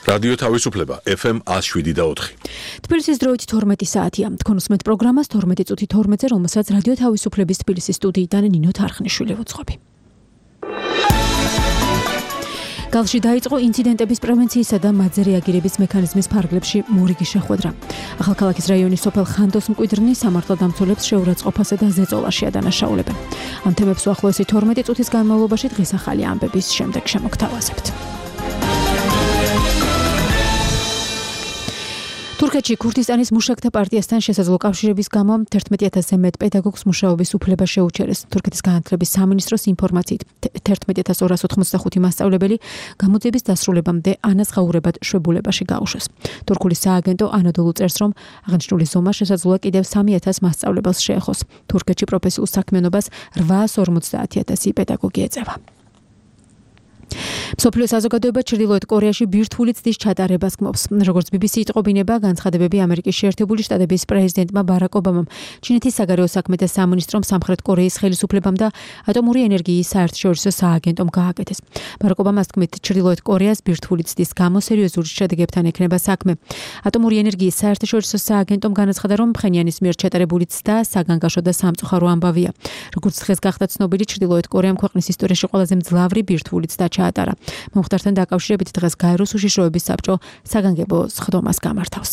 რადიო თავისუფლება FM 107.4. თბილისის დროით 12 საათია. თქვენ უსმენთ პროგრამას 12 წუთი 12-ზე, რომელსაც რადიო თავისუფლების თბილისის სტუდიიდან ნინო თარხნიშვილი ვუძღვები. გალში დაიწყო ინციდენტების პრევენციისა და მათზე რეაგირების მექანიზმის ფარგლებში მორიგი შეხვედრა. ახალქალაქის რაიონის სოფელ ხანდოს მკვიდრნი სამართალდამცველებს შეურაცხყოფასა და ზეწოლაში ადანაშაულებენ. ამ თემებს უახლოესი 12 წუთის განმავლობაში დღის ახალი ამბების შემდეგ შემოგთავაზებთ. თურქეთში ქურთისტანის მუშაკთა პარტიასთან შესაძლო კავშირების გამო 11,000-ზე მეტ პედაგოგს მუშაობის უფლება შეუჩერეს. თურქეთის განათლების სამინისტროს ინფორმაციით 11,285 მასწავლებელი გამოძიების დასრულებამდე ანაზღაურებად შვებულებაში გაუშვეს. თურქული სააგენტო ანადოლუ წერს, რომ აღნიშნული ზომა შესაძლოა კიდევ 3,000 მასწავლებელს შეეხოს. თურქეთში პროფესიულ საქმიანობას 850,000 პედაგოგი ეწევა. მსოფლიო საზოგადოება ჩრდილოეთ კორეაში ბირთვული ცდის ჩატარებას გმობს. როგორც BBC იტყობინება, განცხადებები ამერიკის შეერთებული შტატების პრეზიდენტმა ბარაკ ობამამ, ჩინეთის საგარეო საქმეთა სამინისტრომ, სამხრეთ კორეის ხელისუფლებამ და ატომური ენერგიის საერთაშორისო სააგენტომ გააკეთეს. ბარაკ ობამას თქმით, ჩრდილოეთ კორეას ბირთვული ცდის გამო სერიოზული შედეგებთან ექნება საქმე. ატომური ენერგიის საერთაშორისო სააგენტომ განაცხადა, რომ ფხენიანის მიერ ჩატარებული ცდა საგანგაშო და სამწუხარო ამბავია. როგორც დღეს გახდა ცნობილი, ჩრდილოეთ კორეამ ქვეყნის ისტორიაში ყველაზე მძლავრი ბირთვული ცდა ჩაატარა. მომხდართან დაკავშირებით დღეს გაეროს უშიშროების საბჭო საგანგებო სხდომას გამართავს.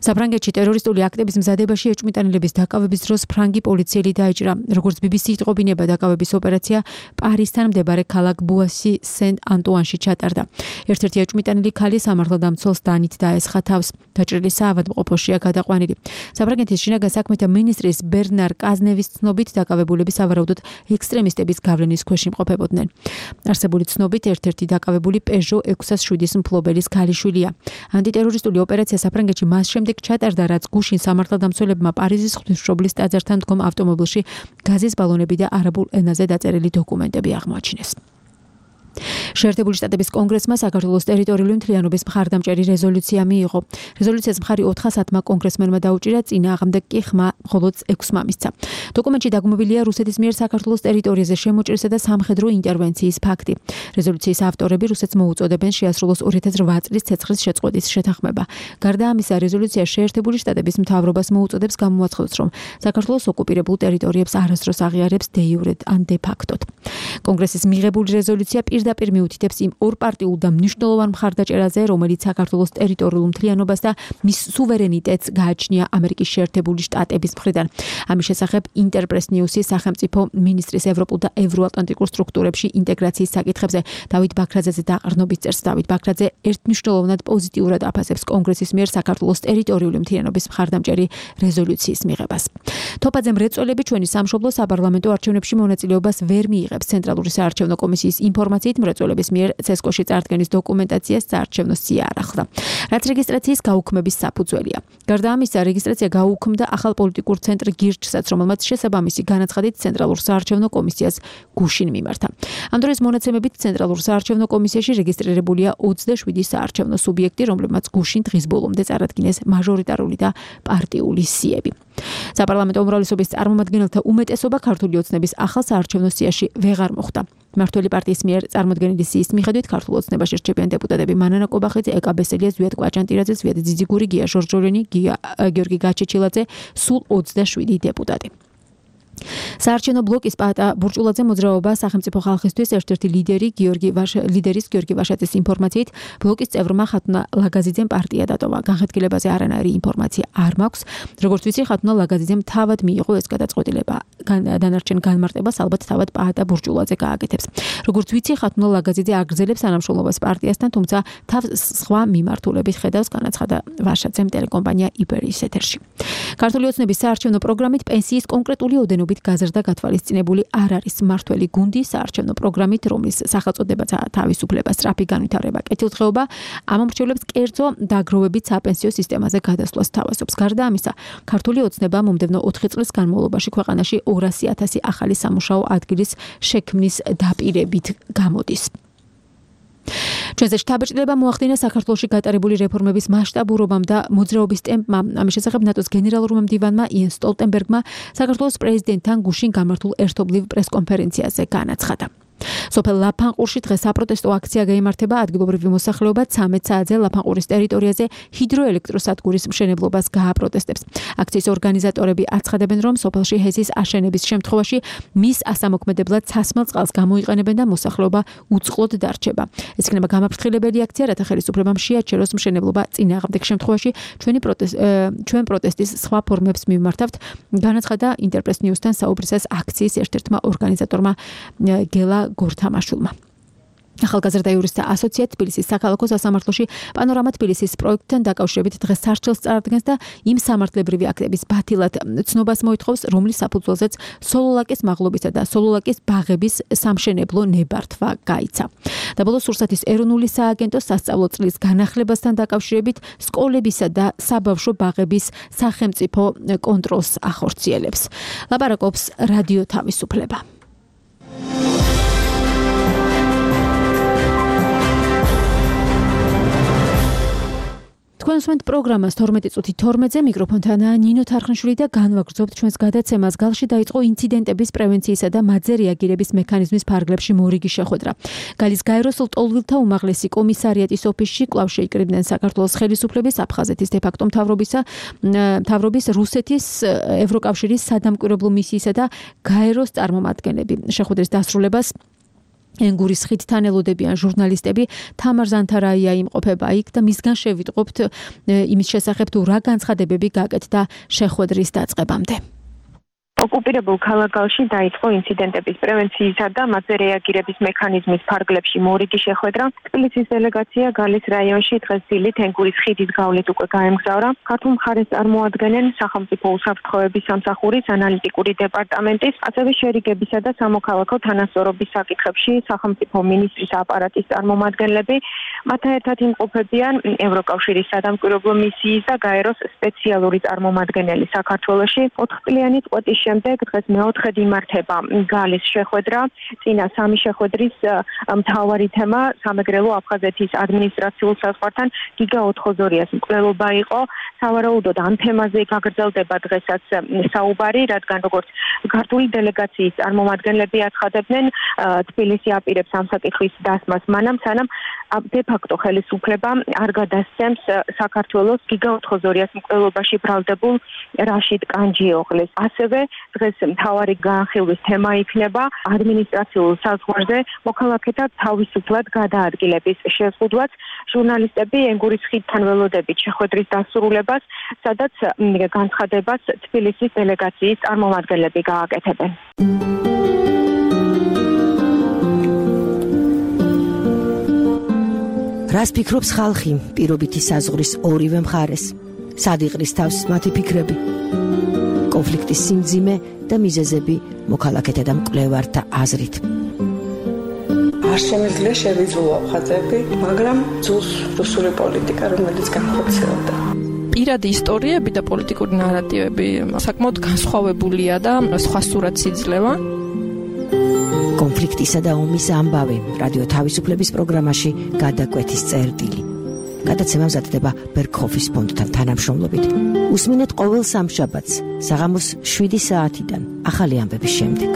საფრანგეთში ტერორისტული აქტების მზადებაში ეჭვმიტანილების დაკავების დროს ფრანგი პოლიციელი დაიჭრა. როგორც BBC იტყობინება, დაკავების ოპერაცია პარისთან მდებარე ქალაქ ბუასი სენ-ანტუანში ჩატარდა. ერთ-ერთი ეჭვმიტანილი ქალი სამართალდამცველს დანით დაესხა თავს. დაჭრილი საავადმყოფოშია გადაყვანილი. საფრანგეთის შინაგან საქმეთა მინისტრის ბერნარ კაზნევის ცნობით, დაკავებულები სავარაუდოდ ექსტრემისტების გავლენის ქვეშ იმყოფებოდნენ. არსებული ცნობით, ერთ-ერთი დაკავებული პეჟო 607-ის მფლობელის ქალიშვილია. ანტიტერორისტული ოპერაცია საფრანგეთში მას შემდეგ ჩატარდა, რაც გუშინ სამართალდამცველებმა პარიზის ღვთისმშობლის ტაძართან დგომ ავტომობილში გაზის ბალონები და არაბულ ენაზე დაწერილი დოკუმენტები აღმოაჩინეს. შეერთებული შტატების კონგრესმა საქართველოს ტერიტორიული მთლიანობის მხარდამჭერი რეზოლუცია მიიღო. რეზოლუციას მხარი 410-მა კონგრესმენმა დაუჭირა, წინააღმდეგ კი ხმა მხოლოდ 6-მა მისცა. დოკუმენტში დაგმობილია რუსეთის მიერ საქართველოს ტერიტორიაზე შემოჭრისა და სამხედრო ინტერვენციის ფაქტი. რეზოლუციის ავტორები რუსეთს მოუწოდებენ შეასრულოს 2008 წლის ცეცხლის შეწყვეტის შეთანხმება. გარდა ამისა, რეზოლუცია შეერთებული შტატების მთავრობას მოუწოდებს გამოაცხადოს, რომ საქართველოს ოკუპირებულ ტერიტორიებს არასდროს აღიარებს დე იურედ ან დე ფაქტოდ. კონგრესის მიღებული რეზოლუცია პირდაპირ მიუთითებს იმ ორ პარტიულ და მნიშვნელოვან მხარდაჭერაზე, რომელიც საქართველოს ტერიტორიულ მთლიანობას და მის სუვერენიტეტს გააჩნია ამერიკის შეერთებული შტატების მხრიდან. ამის შესახებ ინტერპრეს ნიუსის სახელმწიფო მინისტრის ევროპულ და ევროატლანტიკურ სტრუქტურებში ინტეგრაციის საკითხებზე დავით ბაქრაძეზე დაყრდნობით წერს. დავით ბაქრაძე ერთმნიშვნელოვნად პოზიტიურად აფასებს კონგრესის მიერ საქართველოს ტერიტორიული მთლიანობის მხარდამჭერი რეზოლუციის მიღებას. თოფაძე მრეწველები ჩვენი სამშობლო საპარლამენტო არჩევნებში მონაწილეობას ვერ მიიღებს. ცენტრალური საარჩევნო კომისიის ინფორმაციით მრეწველების მიერ ცესკოში წარდგენის დოკუმენტაციას საარჩევნო სია არ ახლდა, რაც რეგისტრაციის გაუქმების საფუძველია. გარდა ამისა, რეგისტრაცია გაუქმდა ახალ პოლიტიკურ ცენტრ გირჩსაც, რომელმაც შესაბამისი განაცხადით ცენტრალურ საარჩევნო კომისიას გუშინ მიმართა. ამ დროს მონაცემებით ცენტრალურ საარჩევნო კომისიაში რეგისტრირებულია 27 საარჩევნო სუბიექტი, რომლებმაც გუშინ დღის ბოლომდე წარადგინეს მაჟორიტარული და პარტიული სიები. საპარლამენტო უმრავლესობის წარმომადგენელთა უმეტესობა ქართული ოცნების ახალ საარჩევნო სიაში ვეღარ მოხვდა. მმართველი პარტიის მიერ წარმოდგენილი სიის მიხედვით ქართულ ოცნებაში რჩებიან დეპუტატები მანანა კობახიძე, ეკა ბესელია, ზვიად კვაჭანტირაძე, ზვიად ძიძიგური, გია ჟორჟოლენი, გიორგი გაჩეჩილაძე, სულ 27 დეპუტატი. საარჩევნო ბლოკის პატა ბურჭულაძე მოძრაობა სახელმწიფო ხალხისთვის ერთ-ერთი ლიდერის გიორგი ვაშაძის ინფორმაციით, ბლოკის წევრმა ხათუნა ლაგაზიძემ პარტია დატოვა. განხეთქილებაზე არანაირი ინფორმაცია არ მაქვს. როგორც ვიცი, ხათუნა ლაგაზიძემ თავად მიიღო ეს გადაწყვეტილება. დანარჩენ განმარტებას ალბათ თავად პატა ბურჭულაძე გააკეთებს. როგორც ვიცი, ხათუნა ლაგაზიძე აგრძელებს თანამშრომლობას პარტიასთან, თუმცა თავს სხვა მიმართულებით ხედავს, განაცხადა ვაშაძემ ტელეკომპანია იბერიის ეთერში. ქართული ოცნების საარჩევნო პროგრამით პენსიის კონკრეტული ოდენობით გაზრდა გათვალისწინებული არ არის. მმართველი გუნდი საარჩევნო პროგრამით, რომლის სახელწოდებაც თავისუფლება, სწრაფი განვითარება, კეთილდღეობა, ამომრჩევლებს კერძო დაგროვებით საპენსიო სისტემაზე გადასვლას თავაზობს. გარდა ამისა, ქართული ოცნება მომდევნო 4 წლის განმავლობაში ქვეყანაში 200,000 ახალი სამუშაო ადგილის შექმნის დაპირებით გამოდის. ჩვენზე შთაბეჭდილება მოახდინა საქართველოში გატარებული რეფორმების მასშტაბურობამ და მოძრაობის ტემპმა. ამის შესახებ ნატოს გენერალურმა მდივანმა იენ სტოლტენბერგმა საქართველოს პრეზიდენტთან გუშინ გამართულ ერთობლივ პრესკონფერენციაზე განაცხადა. სოფელ ლაფანყურში დღეს საპროტესტო აქცია გაიმართება. ადგილობრივი მოსახლეობა 13 საათზე ლაფანყურის ტერიტორიაზე ჰიდროელექტროსადგურის მშენებლობას გააპროტესტებს. აქციის ორგანიზატორები აცხადებენ, რომ სოფელში ჰესის აშენების შემთხვევაში მის ასამოქმედებლად ცასმელ წყალს გამოიყენებენ და მოსახლეობა უწყლოდ დარჩება. ეს იქნება გამაფრთხილებელი აქცია, რათა ხელისუფლებამ შეაჩეროს მშენებლობა წინააღმდეგ შემთხვევაში ჩვენ პროტესტის სხვა ფორმებს მიმართავთ, განაცხადა ინტერპრეს ნიუსთან საუბრისას აქციის ერთ-ერთმა ორგანიზატორმა გელა გორთამაშვილმა. ახალგაზრდა იურისტთა ასოციაცია თბილისის საქალაქო სასამართლოში პანორამა თბილისის პროექტთან დაკავშირებით დღეს სარჩელს წარადგენს და იმ სამართლებრივი აქტების ბათილად ცნობას მოითხოვს, რომლის საფუძველზეც სოლოლაკის მაღლობისა და სოლოლაკის ბაღების სამშენებლო ნებართვა გაიცა. და ბოლოს სურსათის ეროვნული სააგენტოს სასწავლო წლის განახლებასთან დაკავშირებით სკოლებისა და საბავშვო ბაღების სახელმწიფო კონტროლს ახორციელებს. ლაპარაკობს რადიო თავისუფლება. თქვენ უსმენთ პროგრამას 12 წუთი 12-ზე მიკროფონთანაა ნინო თარხნიშვილი და განვაგრძობთ ჩვენს გადაცემას. გალში დაიწყო ინციდენტების პრევენციისა და მათზე რეაგირების მექანიზმის ფარგლებში მორიგი შეხვედრა. გალის გაეროს ლტოლვილთა უმაღლესი კომისარიატის ოფისში კვლავ შეიკრიბნენ საქართველოს ხელისუფლების, აფხაზეთის დე-ფაქტო მთავრობის, რუსეთის ევროკავშირის სადამკვირვებლო მისიისა და გაეროს წარმომადგენლები. შეხვედრის დასრულებას ენგურის ხიდთან ელოდებიან ჟურნალისტები. თამარ ზანთარაია იმყოფება იქ და მისგან შევიტყობთ იმის შესახებ თუ რა განცხადებები გაკეთდა შეხვედრის დაწყებამდე. ოკუპირებულ ქალაქში დაიწყო ინციდენტების პრევენციისა და მათზე რეაგირების მექანიზმის ფარგლებში მორიგი შეხვედრა. თბილისის დელეგაცია გალის რაიონში დღეს დილით ენგურის ხიდის გავლით უკვე გაემგზავრა. ქართულ მხარეს წარმოადგენენ სახელმწიფო უსაფრთხოების სამსახურის ანალიტიკური დეპარტამენტის, ასევე შერიგებისა და სამოქალაქო თანასწორობის საკითხებში სახელმწიფო მინისტრის აპარატის წარმომადგენლები. მათთან ერთად იმყოფებიან ევროკავშირის სადამკვირვებლო მისიის და გაეროს სპეციალური წარმომადგენელი საქართველოში. 4 წლიანი წყვეტის შემდეგ დღეს მეოთხედ იმართება გალის შეხვედრა. წინა სამი შეხვედრის მთავარი თემა სამეგრელო აფხაზეთის ადმინისტრაციულ საზღვართან გიგა 402-ას მკვლელობა იყო. სავარაუდოდ ამ თემაზე გაგრძელდება დღესაც საუბარი, რადგან როგორც ქართული დელეგაციის წარმომადგენლები აცხადებდნენ, თბილისი აპირებს ამ საკითხის დასმას მანამ, სანამ დე-ფაქტო ხელისუფლება არ გადასცემს საქართველოს გიგა 402-ას მკვლელობაში ბრალდებულ რაშიდ კანჯიოღლეს. ასევე დღეს მთავარი განხილვის თემა იქნება ადმინისტრაციულ საზღვარზე მოქალაქეთა თავისუფლად გადაადგილების შეზღუდვაც. ჟურნალისტები ენგურის ხიდთან ველოდებით შეხვედრის დასრულებას, სადაც განცხადებას თბილისის დელეგაციის წარმომადგენლები გააკეთებენ. რას ფიქრობს ხალხი პირობითი საზღვრის ორივე მხარეს? სად იყრის თავს მათი ფიქრები? კონფლიქტის სიმძიმე და მიზეზები მოქალაქეთა და მკვლევართა აზრით. არ შემიძლია შევიძულო აფხაზები, მაგრამ ძულს რუსული პოლიტიკა, რომელიც განხორციელდა. პირადი ისტორიები და პოლიტიკური ნარატივები საკმაოდ განსხვავებულია და სხვა სურათს იძლევა. კონფლიქტისა და ომის ამბავი რადიო თავისუფლების პროგრამაში გადაკვეთის წერტილი. გადაცემა მზადდება ბერგჰოფის ფონდთან თანამშრომლობით. უსმინეთ ყოველ სამშაბათს საღამოს 7 საათიდან ახალი ამბების შემდეგ.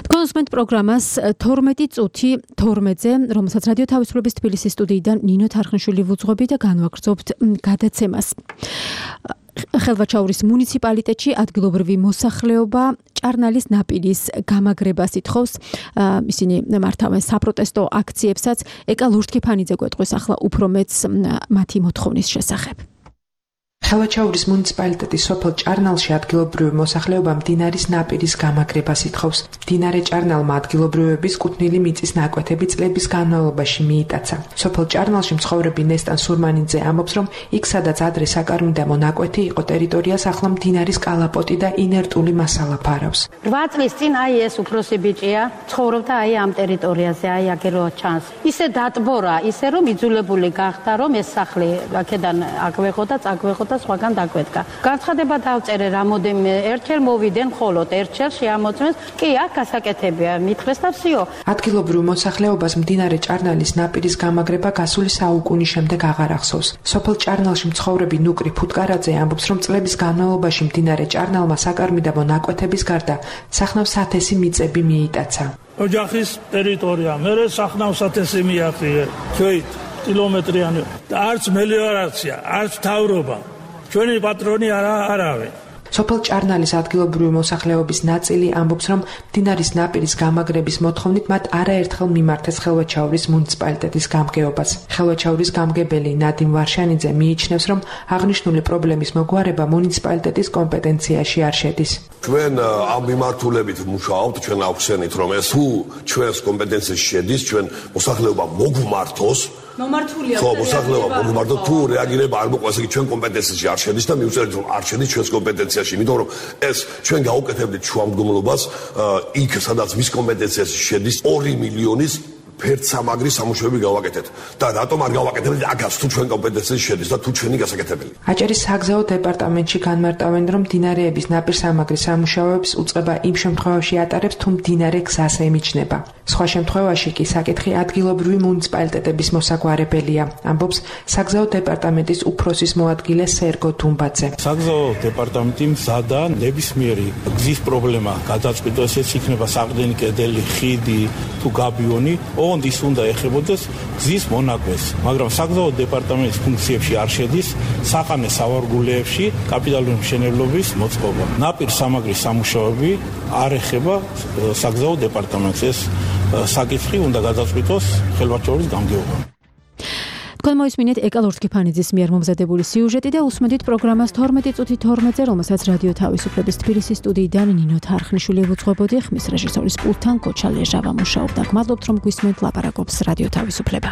თქვენ უსმენთ პროგრამას 12 წუთი 12-ზე, რომელსაც რადიო თავისუფლების თბილისის სტუდიიდან ნინო თარხნიშვილი ვუძღვები და განვაგრძობთ გადაცემას. ხელვაჩაურის მუნიციპალიტეტში ადგილობრივი მოსახლეობა ჭარნალის ნაპირის გამაგრებას ითხოვს. ისინი მართავენ საპროტესტო აქციებსაც. ეკა ლურთქიფანიძე გვეტყვის ახლა უფრო მეც მათი მოთხოვნის შესახებ. ხელვაჩაურის მუნიციპალიტეტის სოფელ ჭარნალში ადგილობრივი მოსახლეობა მდინარის ნაპირის გამაგრებას ითხოვს. მდინარე ჭარნალმა ადგილობრივების კუთვნილი მიწის ნაკვეთები წლების განმავლობაში მიიტაცა. სოფელ ჭარნალში მცხოვრები ნესტან სურმანიძე ამბობს, რომ იქ სადაც ადრე საკარმიდამო ნაკვეთი იყო ტერიტორიას ახლა მდინარის კალაპოტი და ინერტული მასალა ფარავს. 8 წლის წინ ეს უფროსი ბიჭია ცხოვრობდა ამ ტერიტორიაზე, აქ რო ჩანს. ისე დატბორა, ისე რომ იძულებული გახდა, რომ ეს სახლი აქედან აკვეხო და წაკვეხო და რაღაცა სხვაგან დაგვედგა. განცხადება დავწერე რამოდენიმე ერთხელ მოვიდენ მხოლოდ ერთხელ შეამოწმეს. კი, აქ გასაკეთებია, მითხრეს და всё. ადგილობრივ მოსახლეობას მდინარე ჭარნალის ნაპირის გამაგრება გასული საუკუნის შემდეგ აღარ ახსოვს. სოფელ ჭარნალში მცხოვრები ნუკრი ფუტკარაძე ამბობს, რომ წლების განმავლობაში მდინარე ჭარნალმა საკარმიდამო ნაკვეთების გარდა სახნავს 1000 მიწები მიიტაცა. ოჯახის ტერიტორია, მერე სახნავს 1000 მიაღწია. ჩვენით კილომეტრიანი და არც მელიორაცია, არც მთავრობა. ჩვენი პატრონი არავინ. სოფელ ჭარნალის ადგილობრივი მოსახლეობის ნაწილი ამბობს, რომ მდინარის ნაპირის გამაგრების მოთხოვნით მათ არაერთხელ მიმართეს ხელვაჩაურის მუნიციპალიტეტის გამგეობას. ხელვაჩაურის გამგებელი ნადიმ ვარშანიძე მიიჩნევს, რომ აღნიშნული პრობლემის მოგვარება მუნიციპალიტეტის კომპეტენციაში არ შედის. ჩვენ ამ მიმართულებით მუშაობთ, ჩვენ აღვხსენით, რომ ეს თუ ჩვენს კომპეტენციაში შედის, ჩვენ მოსახლეობა მოგვმართოს. მომართულია ხო, მოსახლეობა მოგვმართოს, თუ რეაგირება არ მოყვას, იგი ჩვენ კომპეტენციაში არ შედის და მივწერეთ, რომ არ შედის ჩვენს კომპეტენციაში, იმიტომ რომ ეს ჩვენ გავუკეთებდით შუამდგომლობას იქ, სადაც მის კომპეტენციაში შედის 2 მილიონის ფერდსამაგრის სამუშაოები გავაკეთეთ და რატომ არ გავაკეთებთ აქაც თუ ჩვენ კომპეტენციაში შედის და თუ ჩვენი გასაკეთებელი. აჭარის საგზაო დეპარტამენტში განმარტავენ, რომ მდინარეების ნაპირსამაგრის სამუშაოებს უწყება იმ შემთხვევაში ატარებს, თუ მდინარე გზას ემიჯნება. სხვა შემთხვევაში კი საკითხი ადგილობრივი მუნიციპალიტეტების მოსაგვარებელია, ამბობს საგზაო დეპარტამენტის უფროსის მოადგილე სერგო დუმბაძე. საგზაო დეპარტამენტი მზადა ნებისმიერი გზის პრობლემა გადაწყვიტოს, ეს იქნება საყრდენი კედელი, ხიდი თუ გაბიონი, ოღონდ ის უნდა ეხებოდეს გზის მონაკვეთს, მაგრამ საგზაო დეპარტამენტის ფუნქციებში არ შედის საყანე სავარგულეებში კაპიტალური მშენებლობის მოწყობა. ნაპირსამაგრის სამუშაოები არ ეხება საგზაო დეპარტამენტს, ეს საკითხი უნდა გადაწყვიტოს ხელვაჩაურის გამგეობამ. თქვენ მოისმინეთ ეკალ ორთქიფანიძის მიერ მომზადებული სიუჟეტი და უსმენთ პროგრამას 12 წუთი 12-ზე, რომელსაც რადიო თავისუფლების თბილისის სტუდიიდან ნინო თარხნიშვილი ევუძღვებოდი, ხმის რეჟისორის პულტთან კოჩა ლეჟავა მუშაობდა. გმადლობთ, რომ გვისმენთ, ლაპარაკობს რადიო თავისუფლება.